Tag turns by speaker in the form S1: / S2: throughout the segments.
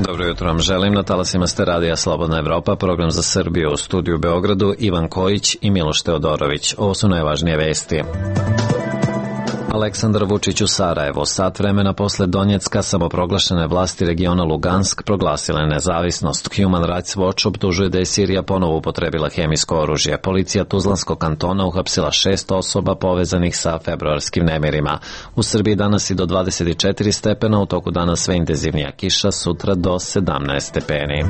S1: Dobro jutro vam želim, na talasima ste radija Slobodna Evropa, program za Srbiju, u studiju u Beogradu Ivan Kojić i Miloš Teodorović. Ovo su najvažnije vesti. Aleksandar Vučić u Sarajevu. Sat vremena posle Donjecka samoproglašene vlasti regiona Lugansk proglasile nezavisnost. Human Rights Watch optužuje da je Sirija ponovo upotrebila hemijsko oružje. Policija Tuzlanskog kantona uhapsila 6 osoba povezanih sa februarskim nemirima. U Srbiji danas i do 24 stepena, u toku dana sve intenzivnija kiša, sutra do 17 stepeni.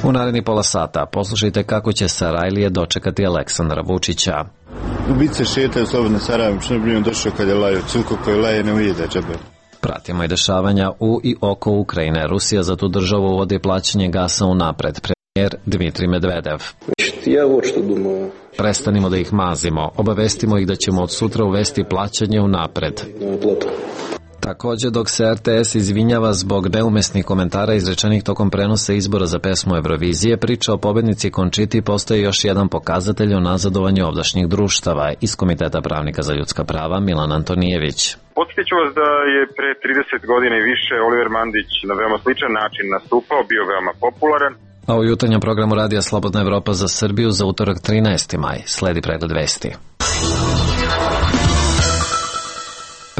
S1: U naredni pola sata poslušajte kako će Sarajlije dočekati Aleksandra Vučića.
S2: Ubice šetaju slobodno Sarajevom, što ne došao kad je laju, cunko koji laje ne ujede džabe.
S1: Pratimo i dešavanja u i oko Ukrajine. Rusija za tu državu uvodi plaćanje gasa unapred. Premijer Dmitrij Medvedev. Prestanimo da ih mazimo. Obavestimo ih da ćemo od sutra uvesti plaćanje unapred. Također, dok se RTS izvinjava zbog neumesnih komentara izrečenih tokom prenosa izbora za pesmu Eurovizije, priča o pobednici Končiti postaje još jedan pokazatelj o nazadovanju ovdašnjih društava. Iz Komiteta pravnika za ljudska prava Milan Antonijević.
S3: Podsjeću vas da je pre 30 godina i više Oliver Mandić na veoma sličan način nastupao, bio veoma popularan.
S1: A u jutarnjem programu radija Slobodna Evropa za Srbiju za utorak 13. maj sledi pregled vesti.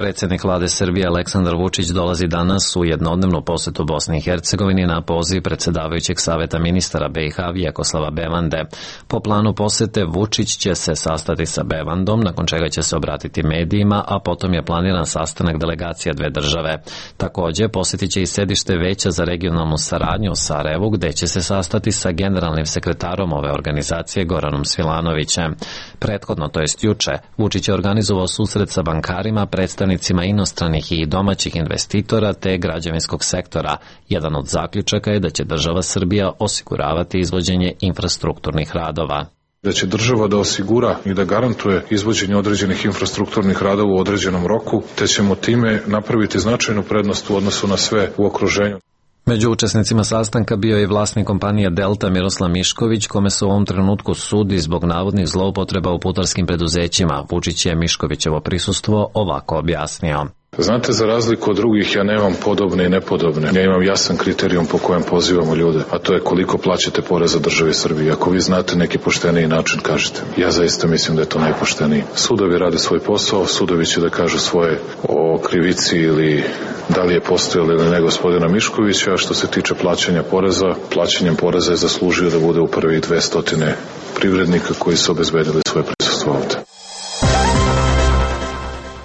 S1: Predsjednik vlade Srbije Aleksandar Vučić dolazi danas u jednodnevnu posetu Bosni i Hercegovini na poziv predsjedavajućeg saveta ministara BiH Vjekoslava Bevande. Po planu posete Vučić će se sastati sa Bevandom, nakon čega će se obratiti medijima, a potom je planiran sastanak delegacija dve države. Također posjetit će i sedište Veća za regionalnu saradnju u Sarajevu, gde će se sastati sa generalnim sekretarom ove organizacije Goranom Svilanovićem. Prethodno, to jest juče, Vučić je organizovao susret sa bankarima, predstavnicima inostranih i domaćih investitora te građevinskog sektora. Jedan od zaključaka je da će država Srbija osiguravati izvođenje infrastrukturnih radova.
S4: Da će država da osigura i da garantuje izvođenje određenih infrastrukturnih radova u određenom roku, te ćemo time napraviti značajnu prednost u odnosu na sve u okruženju.
S1: Među učesnicima sastanka bio je i vlasnik kompanije Delta Miroslav Mišković, kome se u ovom trenutku sudi zbog navodnih zloupotreba u putarskim preduzećima. Vučić je Miškovićevo prisustvo ovako objasnio.
S4: Znate, za razliku od drugih, ja nemam podobne i nepodobne. Ja imam jasan kriterijum po kojem pozivamo ljude, a to je koliko plaćate poreza državi Srbiji. Ako vi znate neki pošteniji način, kažete. Ja zaista mislim da je to najpošteniji. Sudovi rade svoj posao, sudovi će da kažu svoje o krivici ili da li je postojalo ili ne gospodina Miškovića, a što se tiče plaćanja poreza, plaćanjem poreza je zaslužio da bude u prvi 200 privrednika koji su obezbedili svoje prisustvo ovde.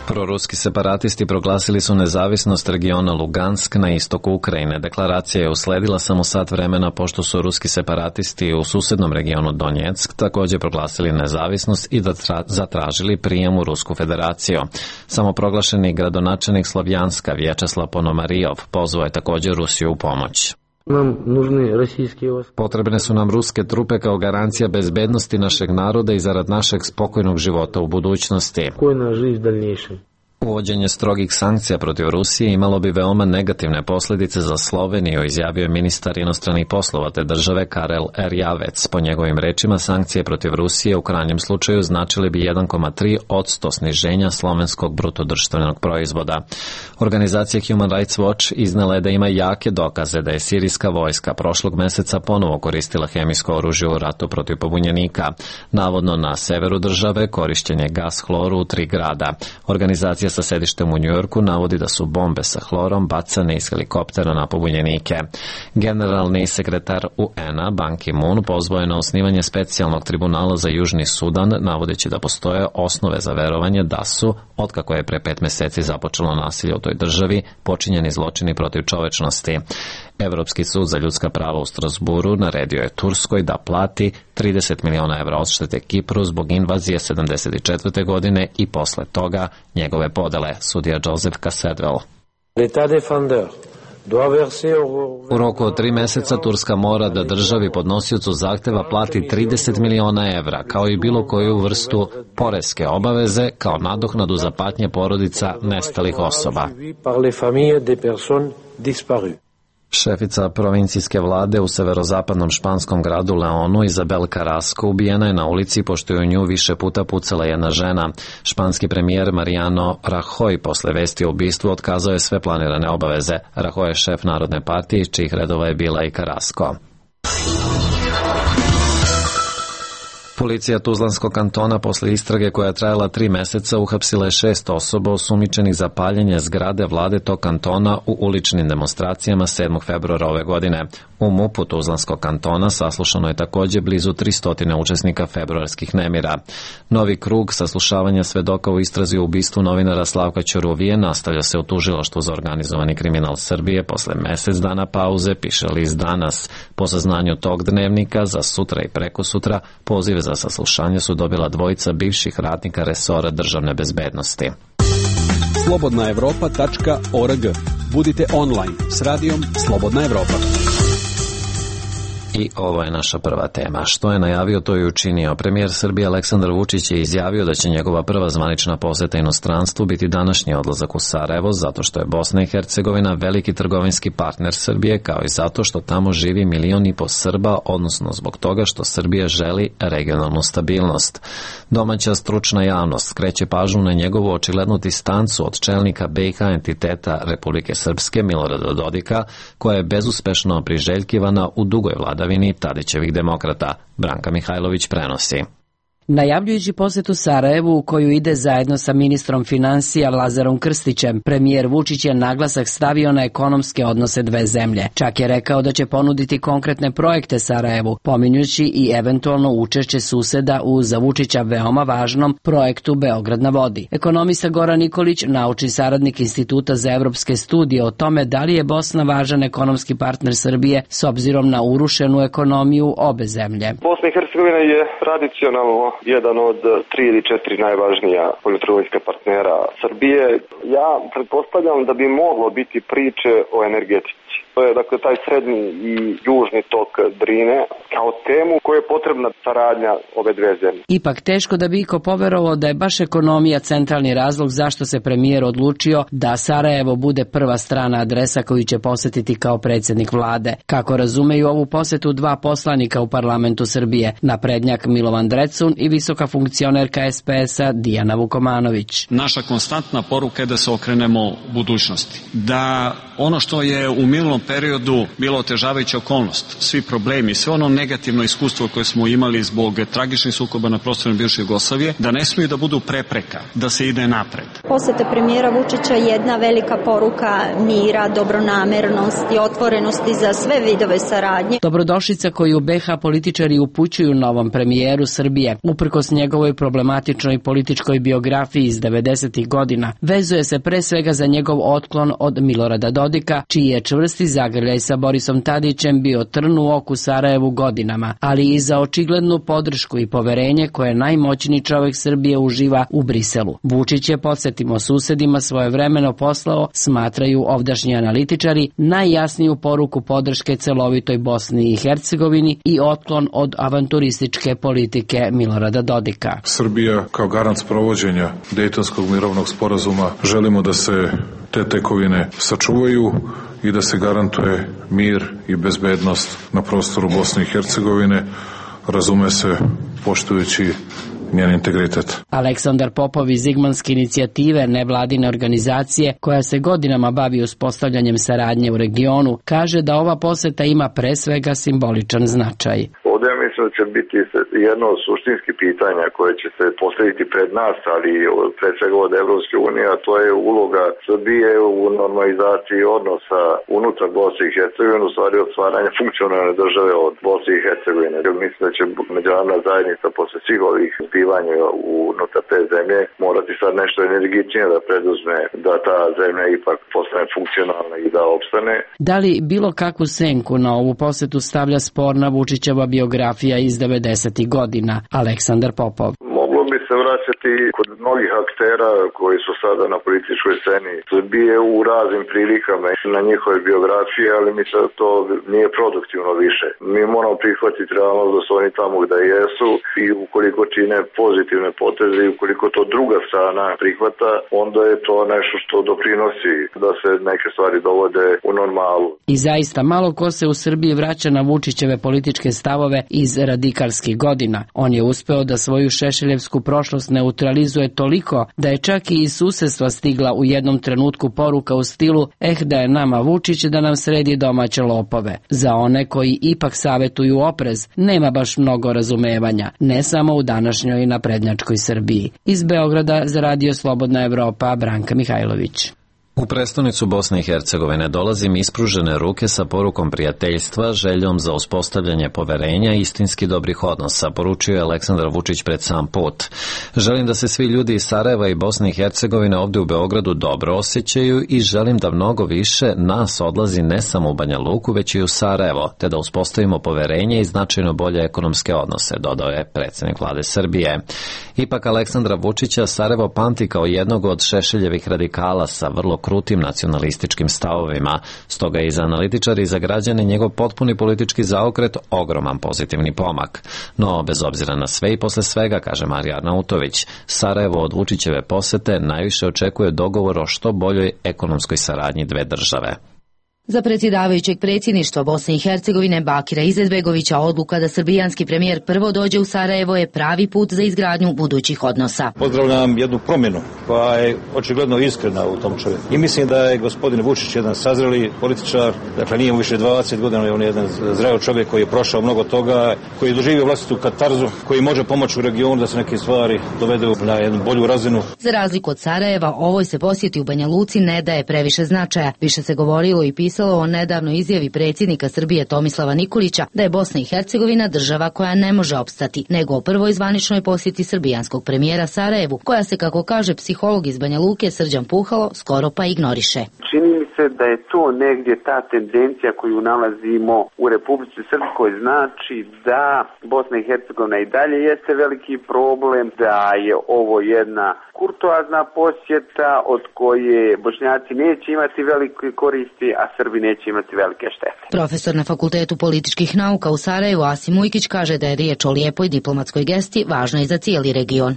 S1: Proruski separatisti proglasili su nezavisnost regiona Lugansk na istoku Ukrajine. Deklaracija je usledila samo sat vremena pošto su ruski separatisti u susednom regionu Donjeck također proglasili nezavisnost i zatražili prijem u Rusku federaciju. Samoproglašeni gradonačelnik Slovjanska Vječeslav Ponomarijov pozvao je također Rusiju u pomoć. Potrebne su nam ruske trupe kao garancija bezbednosti našeg naroda i zarad našeg spokojnog života u budućnosti. Uvođenje strogih sankcija protiv Rusije imalo bi veoma negativne posljedice za Sloveniju, izjavio je ministar inostranih poslova te države Karel Erjavec. Po njegovim rečima, sankcije protiv Rusije u krajnjem slučaju značili bi 1,3% sniženja slovenskog brutodruštvenog proizvoda. Organizacija Human Rights Watch iznela je da ima jake dokaze da je sirijska vojska prošlog meseca ponovo koristila hemijsko oružje u ratu protiv pobunjenika. Navodno na severu države korišćen je gas hloru u 3 grada. Organizacija sa sedištem u Njujorku navodi da su bombe sa hlorom bacane iz helikoptera na pobunjenike. Generalni sekretar UN-a Ban Ki-moon pozvao je na osnivanje specijalnog tribunala za Južni Sudan, navodeći da postoje osnove za verovanje da su, otkako je pre 5 meseci započelo nasilje u toj državi, počinjeni zločini protiv čovečnosti. Evropski sud za ljudska prava u Strasburu naredio je Turskoj da plati 30 miliona evra odštete Kipru zbog invazije 74. godine i posle toga njegove podele, sudija Joseph Casadwell. U roku od 3 meseca Turska mora da državi podnosiocu zahteva plati 30 miliona evra, kao i bilo koju vrstu poreske obaveze, kao nadoknadu za patnje porodica nestalih osoba. Šefica provincijske vlade u severozapadnom španskom gradu Leonu, Isabel Carrasco, ubijena je na ulici pošto je u nju više puta pucala jedna žena. Španski premijer Mariano Rajoy posle vesti o ubistvu otkazao je sve planirane obaveze. Rajoy je šef Narodne partije iz čijih redova je bila i Carrasco. Policija Tuzlanskog kantona posle istrage koja je trajala 3 meseca uhapsila je 6 osoba osumnjičenih za paljenje zgrade vlade tog kantona u uličnim demonstracijama 7. februara ove godine. U MUP-u Tuzlanskog kantona saslušano je takođe blizu 300 učesnika februarskih nemira. Novi krug saslušavanja svedoka u istrazi o ubistvu novinara Slavka Ćuruvije nastavlja se u tužilaštvu za organizovani kriminal Srbije posle mesec dana pauze, piše list Danas. Po saznanju tog dnevnika, za sutra i prekosutra pozive za saslušanje su dobila dvojica bivših radnika resora državne bezbednosti.
S5: slobodnaevropa.org. Budite online s radijom Slobodna Evropa.
S1: I ovo je naša prva tema. Što je najavio, to je učinio. Premijer Srbije Aleksandar Vučić je izjavio da će njegova prva zvanična poseta inostranstvu biti današnji odlazak u Sarajevo, zato što je Bosna i Hercegovina veliki trgovinski partner Srbije, kao i zato što tamo živi 1,5 miliona Srba, odnosno zbog toga što Srbija želi regionalnu stabilnost. Domaća stručna javnost skreće pažnju na njegovu očiglednu distancu od čelnika BiH entiteta Republike Srpske Milorada Dodika, koja je bezuspešno priželjkivana u dugoj vladavini Tadićevih demokrata. Branka Mihajlović prenosi.
S6: Najavljujući posetu Sarajevu, u koju ide zajedno sa ministrom finansija Lazarom Krstićem, premijer Vučić je naglasak stavio na ekonomske odnose dve zemlje. Čak je rekao da će ponuditi konkretne projekte Sarajevu, pominjući i eventualno učešće suseda u za Vučića veoma važnom projektu Beograd na vodi. Ekonomista Goran Nikolić, naučni saradnik Instituta za evropske studije o tome da li je Bosna važan ekonomski partner Srbije s obzirom na urušenu ekonomiju obe zemlje.
S7: Bosna i Hercegovina je tradicionalno jedan od 3 ili 4 najvažnija poljotrgovinska partnera Srbije. Ja pretpostavljam da bi moglo biti priče o energetici. To je dakle taj srednji i južni tok Drine kao temu koja je potrebna saradnja ove dve zemlje.
S6: Ipak teško da bi iko poverovao da je baš ekonomija centralni razlog zašto se premijer odlučio da Sarajevo bude prva strana adresa koju će posetiti kao predsjednik vlade. Kako razumeju ovu posetu dva poslanika u parlamentu Srbije, naprednjak Milovan Drecun i visoka funkcionerka SPS-a Dijana Vukomanović.
S8: Naša konstantna poruka je da se okrenemo budućnosti. Da ono što je u minulom periodu bilo otežavajuća okolnost, svi problemi, sve ono negativno iskustvo koje smo imali zbog tragičnih sukoba na prostoru bivše Jugoslavije, da ne smiju da budu prepreka, da se ide napred.
S9: Poseta premijera Vučića je jedna velika poruka mira, dobronamernosti, otvorenosti za sve vidove saradnje.
S6: Dobrodošlica koju BiH političari upućuju novom premijeru Srbije, uprkos njegovoj problematičnoj političkoj biografiji iz 90. godina, vezuje se pre svega za njegov otklon od Milorada Dodika, čiji je čvrsti zagrljaj sa Borisom Tadićem bio trn u oku Sarajevu godinama, ali i za očiglednu podršku i poverenje koje najmoćniji čovjek Srbije uživa u Briselu. Vučić je, podsjetimo susedima, svojevremeno poslao, smatraju ovdašnji analitičari, najjasniju poruku podrške celovitoj Bosni i Hercegovini i otklon od avanturističke politike Milorada Dodika.
S4: Srbija kao garant sprovođenja Dejtonskog mirovnog sporazuma želimo da se te tekovine sačuvaju i da se garantuje mir i bezbednost na prostoru Bosne i Hercegovine, razume se poštujući njen integritet.
S6: Aleksandar Popov iz Zigmanske inicijative, nevladine organizacije koja se godinama bavi uspostavljanjem saradnje u regionu, kaže da ova poseta ima pre svega simboličan značaj.
S7: Ovdje ja mislim da će biti jedno od suštinskih pitanja koje će se postaviti pred nas, ali pred svega od Evropske unije, a to je uloga Srbije u normalizaciji odnosa unutar Bosne i Hercegovine, u stvari od stvaranja funkcionalne države od Bosne i Hercegovine. Mislim da će međunarodna zajednica posle svih ovih zbivanja unutar te zemlje morati sad nešto energičnije da preduzme da ta zemlja ipak postane funkcionalna i da opstane.
S6: Da li bilo kakvu senku na ovu posetu stavlja sporna Vučićeva biografija iz 90. godina? Aleksandar Popov.
S7: Moglo bi se se vraćati kod mnogih aktera koji su sada na političkoj sceni Srbije u raznim prilikama na njihove biografije, ali mislim da to nije produktivno više. Mi moramo prihvatiti realnost da su oni tamo gde jesu i ukoliko čine pozitivne poteze i ukoliko to druga strana prihvata, onda je to nešto što doprinosi da se neke stvari dovode u normalu.
S6: I zaista malo ko se u Srbiji vraća na Vučićeve političke stavove iz radikalskih godina. On je uspeo da svoju šešeljevsku prošlost neutralizuje toliko da je čak i iz susedstva stigla u jednom trenutku poruka u stilu da je nama Vučić da nam sredi domaće lopove. Za one koji ipak savetuju oprez, nema baš mnogo razumevanja, ne samo u današnjoj naprednjačkoj Srbiji. Iz Beograda za Radio Slobodna Evropa, Branka Mihajlović.
S1: U prestonicu Bosne i Hercegovine dolazim ispružene ruke sa porukom prijateljstva, željom za uspostavljanje poverenja i istinski dobrih odnosa, poručio je Aleksandar Vučić pred sam put. Želim da se svi ljudi iz Sarajeva i Bosne i Hercegovine ovdje u Beogradu dobro osjećaju i želim da mnogo više nas odlazi ne samo u Banja Luku, već i u Sarajevo, te da uspostavimo poverenje i značajno bolje ekonomske odnose, dodao je predsjednik vlade Srbije. Ipak Aleksandra Vučića Sarajevo pamti kao jednog od Šešeljevih radikala sa vrlo krutim nacionalističkim stavovima, stoga je i za analitičari i za građane njegov potpuni politički zaokret ogroman pozitivni pomak. No, bez obzira na sve i posle svega, kaže Marija Arnautović, Sarajevo od Vučićeve posete najviše očekuje dogovor o što boljoj ekonomskoj saradnji dve države.
S10: Za predsjedavajućeg predsjedništva Bosne i Hercegovine Bakira Izetbegovića odluka da srbijanski premijer prvo dođe u Sarajevo je pravi put za izgradnju budućih odnosa.
S11: Pozdravljam jednu promjenu koja je očigledno iskrena u tom čovjeku. I mislim da je gospodin Vučić jedan sazreli političar, dakle nije mu više 20 godina, on je jedan zreo čovjek koji je prošao mnogo toga, koji je doživio vlastitu katarzu, koji može pomoći u regionu da se neke stvari dovedu na jednu bolju razinu.
S10: Za razliku od Sarajeva, ovoj se posjeti u Banja Luci ne daje previše značaja. Više se govorilo i pisalo o nedavnoj izjavi predsjednika Srbije Tomislava Nikolića da je Bosna i Hercegovina država koja ne može opstati, nego o prvoj zvaničnoj posjeti srbijanskog premijera Sarajevu, koja se, kako kaže psiholog iz Banja Luke Srđan Puhalo, skoro pa ignoriše.
S12: Čini mi se da je to negdje ta tendencija koju nalazimo u Republici Srpskoj, znači da Bosna i Hercegovina i dalje jeste veliki problem, da je ovo jedna kurtoazna posjeta od koje Bošnjaci neće imati velike koristi, a Srbi neće imati velike štete.
S10: Profesor na Fakultetu političkih nauka u Sarajevu Asim Ujkić kaže da je riječ o lijepoj diplomatskoj gesti važno i za cijeli region.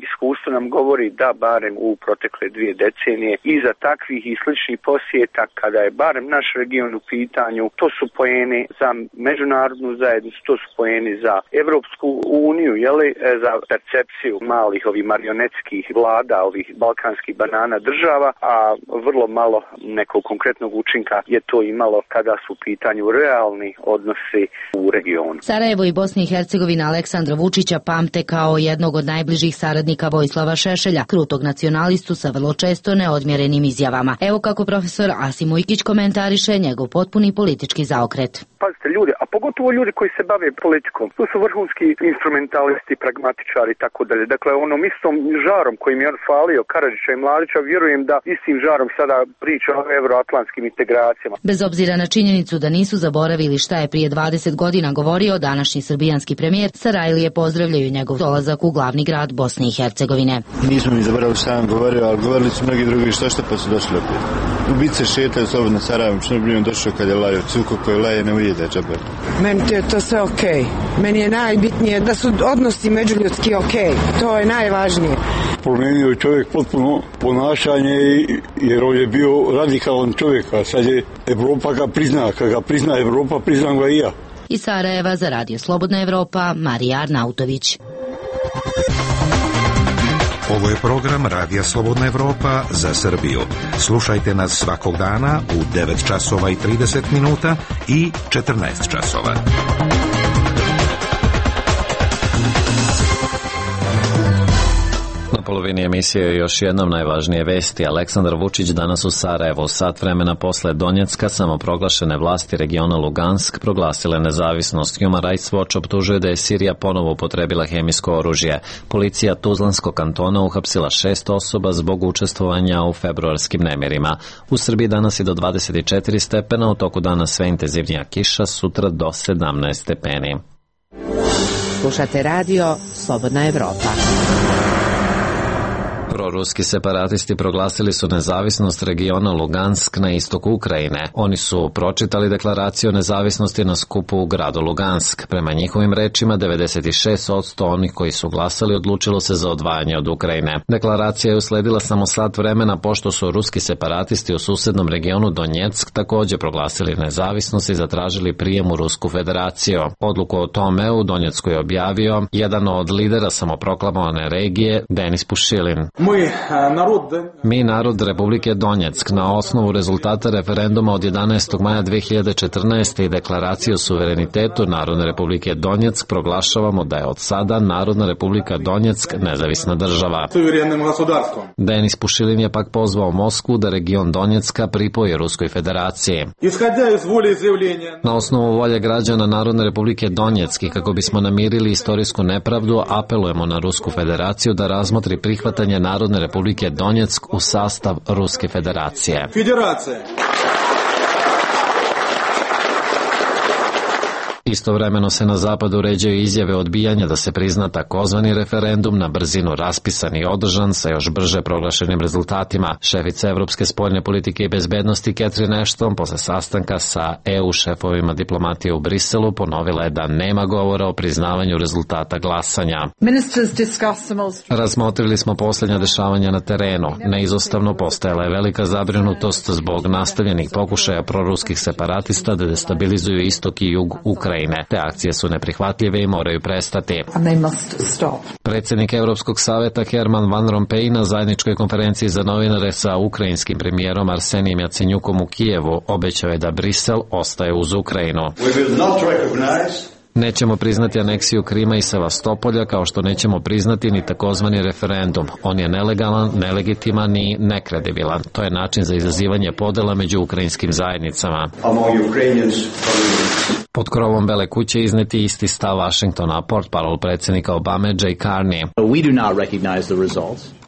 S13: Iskustvo nam govori da barem u protekle 2 decenije iza takvih i sličnih posjeta, kada je barem naš region u pitanju, to su poeni za međunarodnu zajednicu, to su poeni za Evropsku uniju, za percepciju malih ovih marionetskih vlada, ovih balkanskih banana država, a vrlo malo nekog konkretnog učinka je to imalo kada su u pitanju realni odnosi u regionu.
S10: Sarajevo i Bosna i Hercegovina Aleksandra Vučića pamte kao jednog od najbližih saradnika Vojislava Šešelja, krutog nacionalistu sa vrlo često neodmjerenim izjavama. Evo kako profesor Asim Ujkić komentariše njegov potpuni politički zaokret.
S13: Pazite ljudi, a pogotovo ljudi koji se bave politikom, to su vrhunski instrumentalisti, pragmatičari i tako dalje. Dakle, onom istom žarom kojim je on falio Karadžića i Mladića, vjerujem da istim žarom sada priča o euroatlantskim integracijama.
S10: Bez obzira na činjenicu da nisu zaboravili šta je prije 20 godina govorio današnji srbijanski premijer, Sarajlije pozdravljaju njegov dolazak u glavni grad Bosne i Hercegovine.
S2: Nismo mi zaboravili šta vam govorio, ali govorili su mnogi drugi što pa su došli opet. Ubice šetaju slobodno Sarajevom, što bi on došao kad je lajao, cuko koji laje ne ujede džabe.
S14: Meni je to sve okej. Meni je najbitnije da su odnosi međuljudski okej. To je najvažnije.
S15: Promijenio je čovjek potpuno ponašanje jer on je bio radikalan čovjek, a sad je Evropa ga prizna, kad ga prizna Evropa, priznam ga i ja.
S10: Iz Sarajeva za Radio Slobodna Evropa, Marija Arnautović.
S16: Ovo je program Radija Slobodna Evropa za Srbiju. Slušajte nas svakog dana u 9 časova i 30 minuta i 14 časova.
S1: Na polovini emisije još jednom najvažnije vesti. Aleksandar Vučić danas u Sarajevu, sat vremena posle Donjecka, samoproglašene vlasti regiona Lugansk proglasile nezavisnost. Human Rights Watch optužuje da je Sirija ponovo upotrebila hemijsko oružje. Policija Tuzlanskog kantona uhapsila 6 osoba zbog učestvovanja u februarskim nemirima. U Srbiji danas je do 24 stepena, u toku dana sve intenzivnija kiša, sutra do 17 stepeni.
S17: Slušate radio Slobodna Evropa.
S1: Proruski separatisti proglasili su nezavisnost regiona Lugansk na istoku Ukrajine. Oni su pročitali deklaraciju o nezavisnosti na skupu u gradu Lugansk. Prema njihovim rečima, 96% onih koji su glasali odlučilo se za odvajanje od Ukrajine. Deklaracija je usledila samo sat vremena pošto su ruski separatisti u susednom regionu Donjeck također proglasili nezavisnost i zatražili prijem u Rusku federaciju. Odluku o tome u Donjecku je objavio jedan od lidera samoproklamovane regije, Denis Pušilin. Mi, narod Republike Donjeck, na osnovu rezultata referenduma od 11. maja 2014. i deklaracije o suverenitetu Narodne Republike Donjeck proglašavamo da je od sada Narodna Republika Donjeck nezavisna država. Denis Pušilin je pak pozvao Moskvu da region Donjecka pripoji Ruskoj federaciji. Na osnovu volje građana Narodne Republike Donjeck i kako bismo namirili istorijsku nepravdu, apelujemo na Rusku federaciju da razmotri prihvatanje Narodne Republike Donjeck u sastav Ruske federacije. Istovremeno se na zapadu uređaju izjave odbijanja da se prizna takozvani referendum na brzinu raspisan i održan sa još brže proglašenim rezultatima. Šefica Evropske spoljne politike i bezbednosti Catherine Ashton posle sastanka sa EU šefovima diplomatije u Briselu ponovila je da nema govora o priznavanju rezultata glasanja. Razmotrili smo posljednja dešavanja na terenu. Neizostavno postojala je velika zabrinutost zbog nastavljenih pokušaja proruskih separatista da destabilizuju istok i jug Ukrajine. Te akcije su neprihvatljive i moraju prestati. Predsjednik Europskog saveta Herman Van Rompuy na zajedničkoj konferenciji za novinare sa ukrajinskim premijerom Arsenijem Jacenjukom u Kijevu obećao je da Brisel ostaje uz Ukrajinu. Nećemo priznati aneksiju Krima i Sevastopolja kao što nećemo priznati ni takozvani referendum. On je nelegalan, nelegitiman i nekredibilan. To je način za izazivanje podela među ukrajinskim zajednicama. Pod krovom Bele kuće izneti isti stav Vašingtona, portparol predsjednika Obame Jay Carney.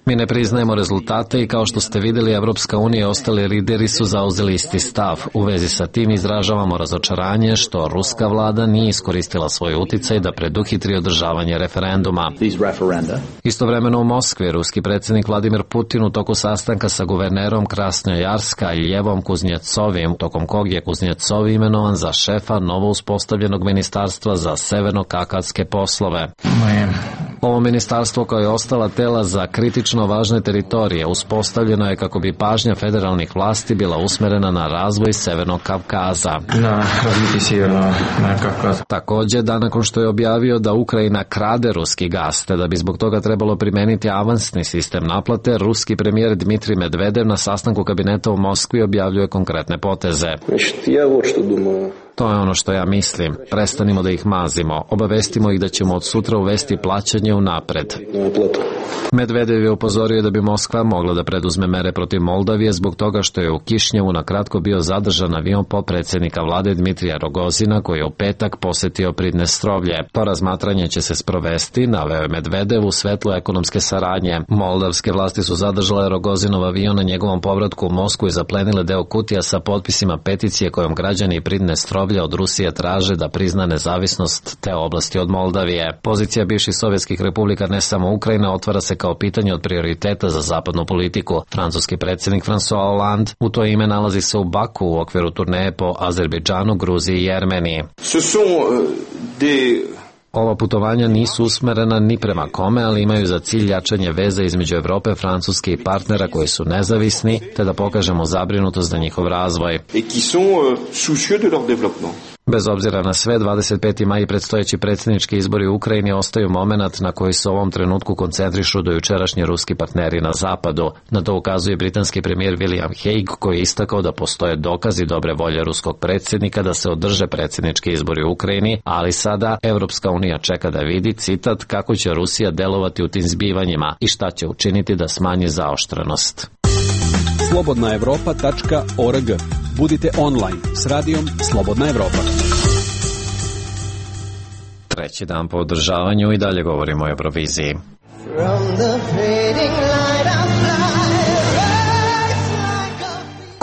S1: Mi ne priznajemo rezultate i kao što ste vidjeli, Evropska unija i ostali lideri su zauzeli isti stav. U vezi sa tim izražavamo razočaranje što ruska vlada nije iskoristila svoj uticaj da preduhitri održavanje referenduma. Istovremeno u Moskvi, ruski predsjednik Vladimir Putin u toku sastanka sa guvernerom Krasnojarska i Ljevom Kuznjecovim, tokom kog je Kuznjecov imenovan za šefa novo uspostavljenog ministarstva za severno-kakavske poslove. Ovo ministarstvo, kao je ostala tela za kritično važne teritorije, uspostavljeno je kako bi pažnja federalnih vlasti bila usmerena na razvoj Severnog Kavkaza. Također, dan nakon što je objavio da Ukrajina krade ruski gas, te da bi zbog toga trebalo primeniti avansni sistem naplate, ruski premijer Dmitrij Medvedev na sastanku kabineta u Moskvi objavljuje konkretne poteze. To je ono što ja mislim. Prestanimo da ih mazimo. Obavestimo ih da ćemo od sutra uvesti plaćanje unapred. Medvedev je upozorio da bi Moskva mogla da preduzme mere protiv Moldavije zbog toga što je u Kišnjevu na kratko bio zadržan avion potpredsjednika vlade Dmitrija Rogozina koji je u petak posetio Pridnestrovlje. To razmatranje će se sprovesti, naveo je Medvedev, u svetlu ekonomske saradnje. Moldavske vlasti su zadržale Rogozinov avion na njegovom povratku u Moskvu i zaplenile deo kutija sa potpisima peticije kojom građani Pridnestrovlja od Rusije traže da prizna nezavisnost te oblasti od Moldavije. Pozicija bivših sovjetskih republika, ne samo Ukrajina, otvara se kao pitanje od prioriteta za zapadnu politiku. Francuski predsjednik François Hollande u to ime nalazi se u Baku u okviru turneje po Azerbejdžanu, Gruziji i Jermeniji. Ova putovanja nisu usmerena ni prema kome, ali imaju za cilj jačanje veze između Evrope, Francuske i partnera koji su nezavisni, te da pokažemo zabrinutost za njihov razvoj. Bez obzira na sve, 25. maj i predstojeći predsjednički izbori u Ukrajini ostaju moment na koji se u ovom trenutku koncentrišu dojučerašnji ruski partneri na zapadu. Na to ukazuje britanski premijer William Hague, koji je istakao da postoje dokazi dobre volje ruskog predsjednika da se održe predsjednički izbori u Ukrajini, ali sada Evropska unija čeka da vidi, citat, kako će Rusija delovati u tim zbivanjima i šta će učiniti da smanji zaoštrenost.
S5: slobodnaevropa.org. Budite online s radijom Slobodna Evropa.
S1: Treći dan po održavanju i dalje govorimo o Euroviziji.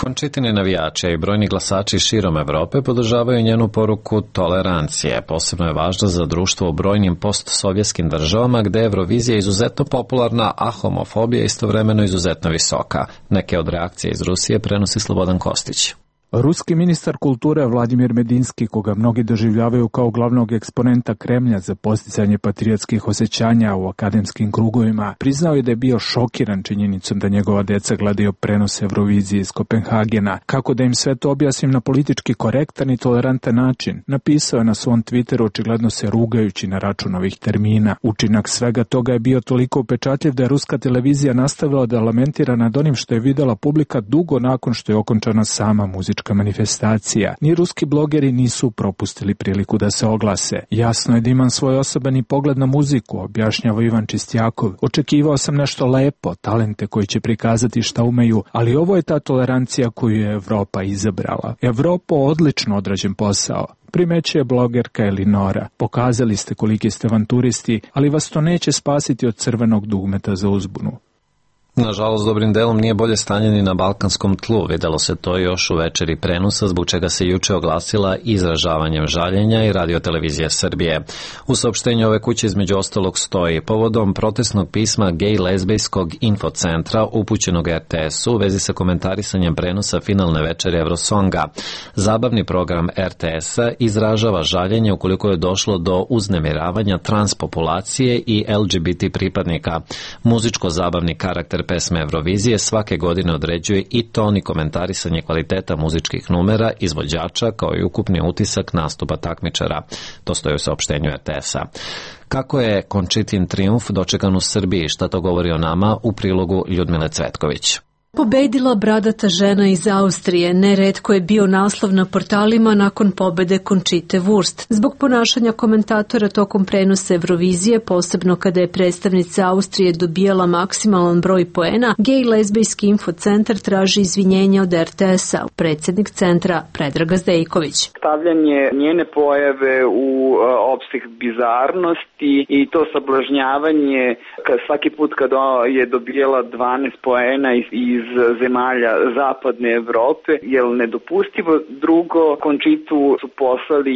S1: Končitini navijači i brojni glasači širom Evrope podržavaju njenu poruku tolerancije. Posebno je važna za društvo u brojnim postsovjetskim državama gde je Eurovizija izuzetno popularna, a homofobija istovremeno izuzetno visoka. Neke od reakcija iz Rusije prenosi Slobodan Kostić.
S17: Ruski ministar kulture Vladimir Medinski, koga mnogi doživljavaju kao glavnog eksponenta Kremlja za posticanje patriotskih osjećanja u akademskim krugovima, priznao je da je bio šokiran činjenicom da njegova deca gledaju prenos Eurovizije iz Kopenhagena. Kako da im sve to objasnim na politički korektan i tolerantan način, napisao je na svom Twitteru, očigledno se rugajući na račun ovih termina. Učinak svega toga je bio toliko upečatljiv da je ruska televizija nastavila da lamentira nad onim što je videla publika dugo nakon što je okončana sama muzička manifestacija. Ni ruski blogeri nisu propustili priliku da se oglase. Jasno je da imam svoj osobeni pogled na muziku, objašnjava Ivan Čistjakov. Očekivao sam nešto lepo, talente koji će prikazati šta umeju, ali ovo je ta tolerancija koju je Evropa izabrala. Evropo, odlično odrađen posao. Primećuje blogerka Elinora. Pokazali ste koliki ste avanturisti, ali vas to neće spasiti od crvenog dugmeta za uzbunu.
S1: Nažalost, dobrim delom nije bolje stanje ni na balkanskom tlu. Videlo se to još u večeri prenosa, zbog čega se juče oglasila izražavanjem žaljenja i Radio-televizija Srbije. U saopštenju ove kuće između ostalog stoji: povodom protestnog pisma gej-lezbijskog infocentra upućenog RTS-u u vezi sa komentarisanjem prenosa finalne večeri Eurosonga. Zabavni program RTS-a izražava žaljenje ukoliko je došlo do uznemiravanja transpopulacije i LGBT pripadnika. Muzičko-zabavni karakter pesme Eurovizije svake godine određuje i ton i komentarisanje kvaliteta muzičkih numera, izvođača, kao i ukupni utisak nastupa takmičara. To stoji u saopštenju RTS-a. Kako je Končitin trijumf dočekan u Srbiji? Šta to govori o nama? U prilogu Ljudmile Cvetković.
S18: Pobedila bradata žena iz Austrije, neretko je bio naslov na portalima nakon pobede Končite Wurst. Zbog ponašanja komentatora tokom prenosa Eurovizije, posebno kada je predstavnica Austrije dobijala maksimalan broj poena, gej-lezbijski infocentar traži izvinjenje od RTS-a. Predsjednik centra Predrag Zdejković.
S12: Stavljanje njene pojave u opseg bizarnosti i to sablažnjavanje svaki put kada je dobijala 12 poena iz zemalja zapadne Evrope je nedopustivo. Drugo, Končitu su poslali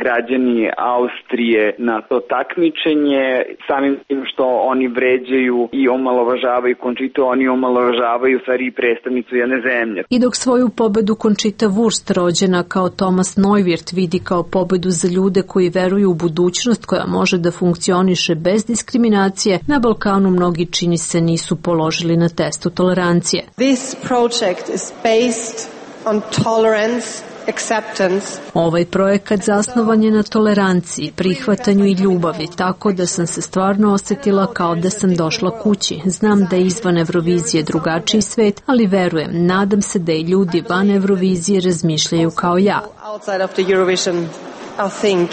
S12: građani Austrije na to takmičenje, samim tim što oni vređaju i omalovažavaju Končitu, oni omalovažavaju stvari i predstavnicu jedne zemlje.
S18: I dok svoju pobedu Končita Wurst, rođena kao Thomas Neuwirth, vidi kao pobedu za ljude koji veruju u budućnost koja može da funkcioniše bez diskriminacije, na Balkanu mnogi, čini se, nisu položili na testu tolerancije.
S19: This project is based on tolerance, acceptance.
S18: Ovaj projekat zasnovan je na toleranciji, prihvatanju i ljubavi, tako da sam se stvarno osjetila kao da sam došla kući. Znam da je izvan Eurovizije drugačiji svet, ali verujem, nadam se da i ljudi van Eurovizije razmišljaju kao ja.
S19: Outside of the Eurovision, I think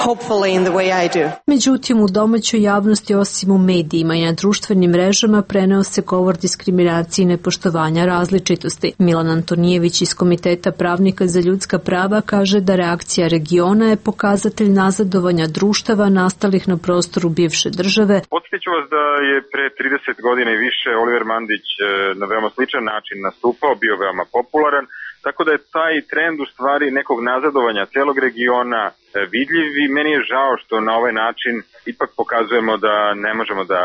S19: hopefully in the way I do.
S18: Međutim, u domaćoj javnosti, osim u medijima i na društvenim mrežama, preneo se govor diskriminacije i nepoštovanja različitosti. Milan Antonijević iz Komiteta pravnika za ljudska prava kaže da reakcija regiona je pokazatelj nazadovanja društava nastalih na prostoru bivše države.
S3: Podsjeću vas da je pre 30 godina i više Oliver Mandić na veoma sličan način nastupao, bio veoma popularan. Tako da je taj trend u stvari nekog nazadovanja celog regiona vidljiv i meni je žao što na ovaj način ipak pokazujemo da ne možemo da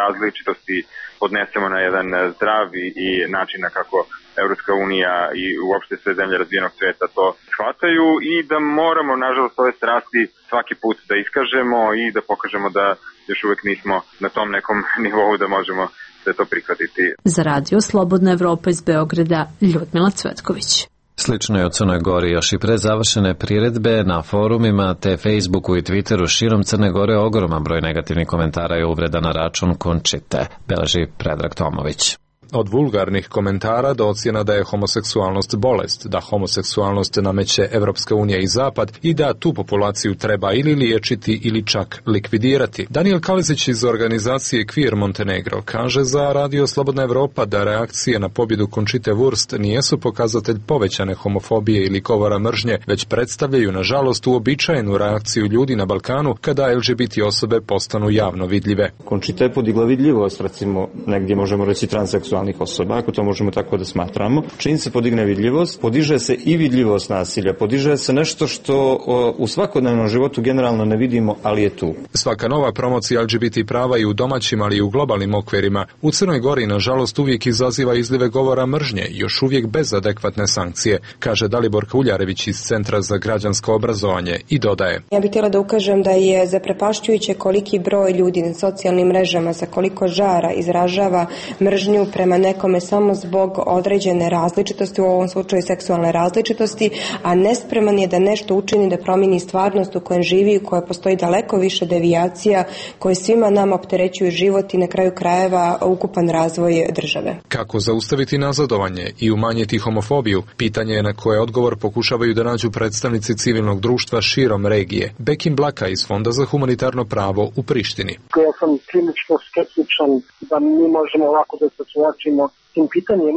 S3: različitosti podnesemo na jedan zdrav i način na kako Evropska unija i uopšte sve zemlje razvijenog sveta to shvataju i da moramo, nažalost, ove strasti svaki put da iskažemo i da pokažemo da još uvek nismo na tom nekom nivou da možemo da to prihvatiti.
S18: Za radio Slobodna Evropa iz Beograda, Ljudmila Cvetković.
S1: Slično je u Crnoj Gori. Još i pre završene priredbe na forumima te Facebooku i Twitteru širom Crne Gore ogroman broj negativnih komentara i uvreda na račun Končite, beleži Predrag Tomović.
S20: Od vulgarnih komentara do ocjena da je homoseksualnost bolest, da homoseksualnost nameće Evropska unija i Zapad i da tu populaciju treba ili liječiti ili čak likvidirati. Daniel Kalezić iz organizacije Queer Montenegro kaže za Radio Slobodna Evropa da reakcije na pobjedu Končite Wurst nijesu pokazatelj povećane homofobije ili govora mržnje, već predstavljaju nažalost uobičajenu reakciju ljudi na Balkanu kada LGBT osobe postanu javno vidljive.
S11: Končita je podigla vidljivost, recimo negdje možemo reći transseksualnih
S21: homoseksualnih osoba, ako to možemo tako da smatramo. Čim se podigne vidljivost, podiže se i vidljivost nasilja, podiže se nešto što u svakodnevnom životu generalno ne vidimo, ali je tu.
S20: Svaka nova promocija LGBT prava i u domaćim, ali i u globalnim okvirima u Crnoj Gori, nažalost, uvijek izaziva izlive govora mržnje, još uvijek bez adekvatne sankcije, kaže Dalibor Uljarević iz Centra za građansko obrazovanje i dodaje.
S22: Ja bih htjela da ukažem da je zaprepašćujuće koliki broj ljudi na socijalnim mrežama sa koliko žara izražava mržnju prema nekome samo zbog određene različitosti, u ovom slučaju seksualne različitosti, a nespreman je da nešto učini da promijeni stvarnost u kojem živi, u kojoj postoji daleko više devijacija koje svima nama opterećuju život i na kraju krajeva ukupan razvoj države.
S20: Kako zaustaviti nazadovanje i umanjiti homofobiju? Pitanje je na koje odgovor pokušavaju da nađu predstavnici civilnog društva širom regije. Bekim Blaka iz Fonda za humanitarno pravo u Prištini.
S23: Ja sam prilično skeptičan da mi možemo ovako da se suočimo s tim pitanjem,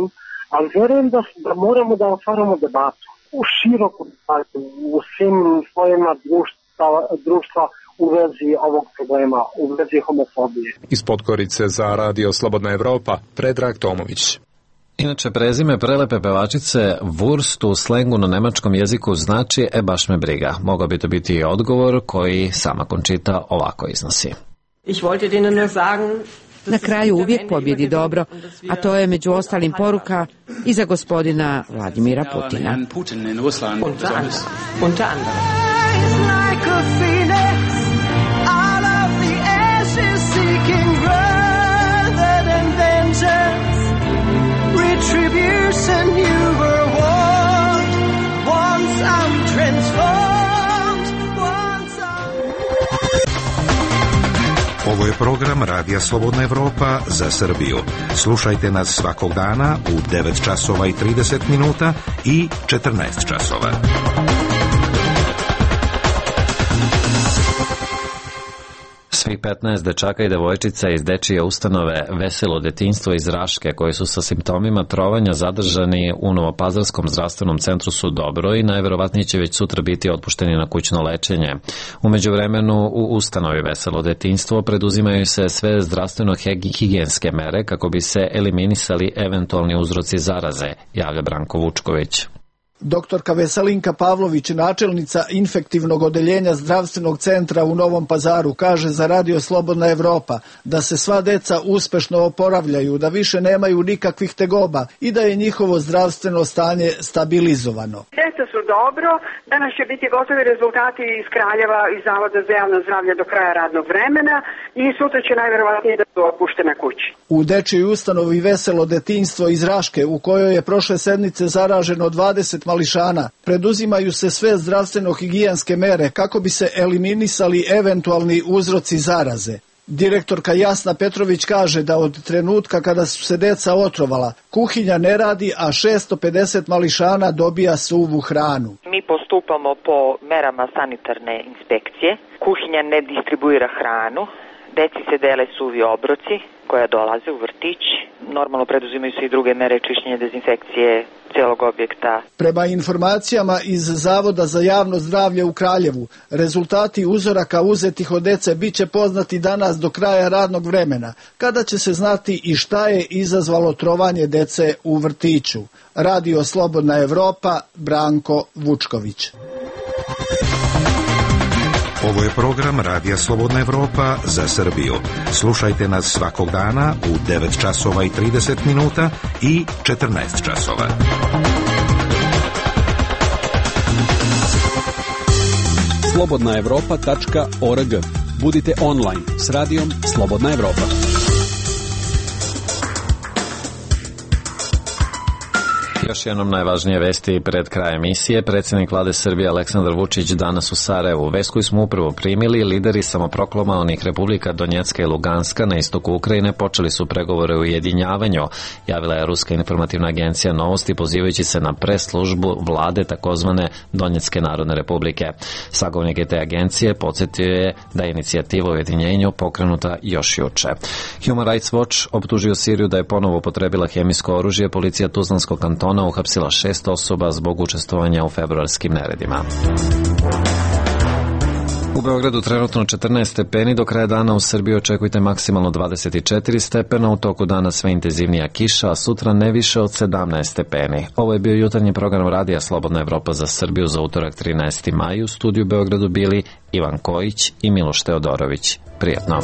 S23: ali vjerujem da moramo da otvaramo debatu u široku debatu, u svim slojima društva u vezi ovog problema, u vezi homofobije.
S20: Iz Podgorice za Radio Slobodna Evropa, Predrag Tomović.
S1: Inače, prezime prelepe pevačice Wurst u slengu na nemačkom jeziku znači baš me briga. Mogao bi to biti i odgovor koji sama Končita ovako iznosi.
S24: Na kraju uvijek pobjedi dobro, a to je među ostalim poruka i za gospodina Vladimira Putina.
S16: Ovo je program Radija Slobodna Evropa za Srbiju. Slušajte nas svakog dana u 9 časova i 30 minuta i 14 časova.
S1: Svih 15 dečaka i devojčica iz dečije ustanove Veselo detinjstvo iz Raške koji su sa simptomima trovanja zadržani u Novopazarskom zdravstvenom centru su dobro i najverovatnije će već sutra biti otpušteni na kućno lečenje. U međuvremenu u ustanovi Veselo detinjstvo preduzimaju se sve zdravstveno-higijenske mere kako bi se eliminisali eventualni uzroci zaraze, javlja Branko Vučković.
S25: Doktorka Veselinka Pavlović, načelnica infektivnog odeljenja zdravstvenog centra u Novom Pazaru, kaže za Radio Slobodna Evropa da se sva deca uspešno oporavljaju, da više nemaju nikakvih tegoba i da je njihovo zdravstveno stanje stabilizovano.
S26: Deca su dobro, danas će biti gotovi rezultati iz Kraljeva iz Zavoda za javno zdravlje do kraja radnog vremena i sutra će najverovatnije da su otpuštene kući.
S25: U dečjoj ustanovi Veselo detinjstvo iz Raške, u kojoj je prošle sedmice zaraženo 20 mališana, preduzimaju se sve zdravstveno-higijenske mere kako bi se eliminisali eventualni uzroci zaraze. Direktorka Jasna Petrović kaže da od trenutka kada su se deca otrovala, kuhinja ne radi, a 650 mališana dobija suvu hranu.
S27: Mi postupamo po merama sanitarne inspekcije. Kuhinja ne distribuira hranu, deci se dele suvi obroci koja dolaze u vrtić. Normalno preduzimaju se i druge mere čišćenja, dezinfekcije cijelog objekta.
S25: Prema informacijama iz Zavoda za javno zdravlje u Kraljevu, rezultati uzoraka uzetih od dece biće poznati danas do kraja radnog vremena, kada će se znati i šta je izazvalo trovanje dece u vrtiću. Radio Slobodna Evropa, Branko Vučković.
S16: Ovo je program Radija Slobodna Evropa za Srbiju. Slušajte nas svakog dana u 9 časova i 30 minuta i 14 časova.
S5: slobodnaevropa.org. Budite online s radijom Slobodna Evropa.
S1: Još jednom najvažnije vesti pred kraj emisije. Predsjednik vlade Srbije Aleksandar Vučić danas u Sarajevu. Vest koju smo upravo primili, lideri samoproklamovanih republika Donjecka i Luganska na istoku Ukrajine počeli su pregovore o ujedinjavanju, javila je Ruska informativna agencija Novosti pozivajući se na press-službu vlade takozvane Donjecke narodne republike. Sagovornik te agencije podsjetio je da je inicijativa o ujedinjenju pokrenuta još juče. Human Rights Watch optužio Siriju da je ponovo upotrebila hemijsko oružje. Policija Tuzlanskog kantona uhapsila 6 osoba zbog učestvovanja u februarskim neredima. U Beogradu trenutno 14 stepeni, do kraja dana u Srbiji očekujte maksimalno 24 stepena, u toku dana sve intenzivnija kiša, a sutra ne više od 17 stepeni. Ovo je bio jutarnji program Radija Slobodna Evropa za Srbiju za utorak 13. maj. U studiju Beogradu bili Ivan Kojić i Miloš Teodorović. Prijetno.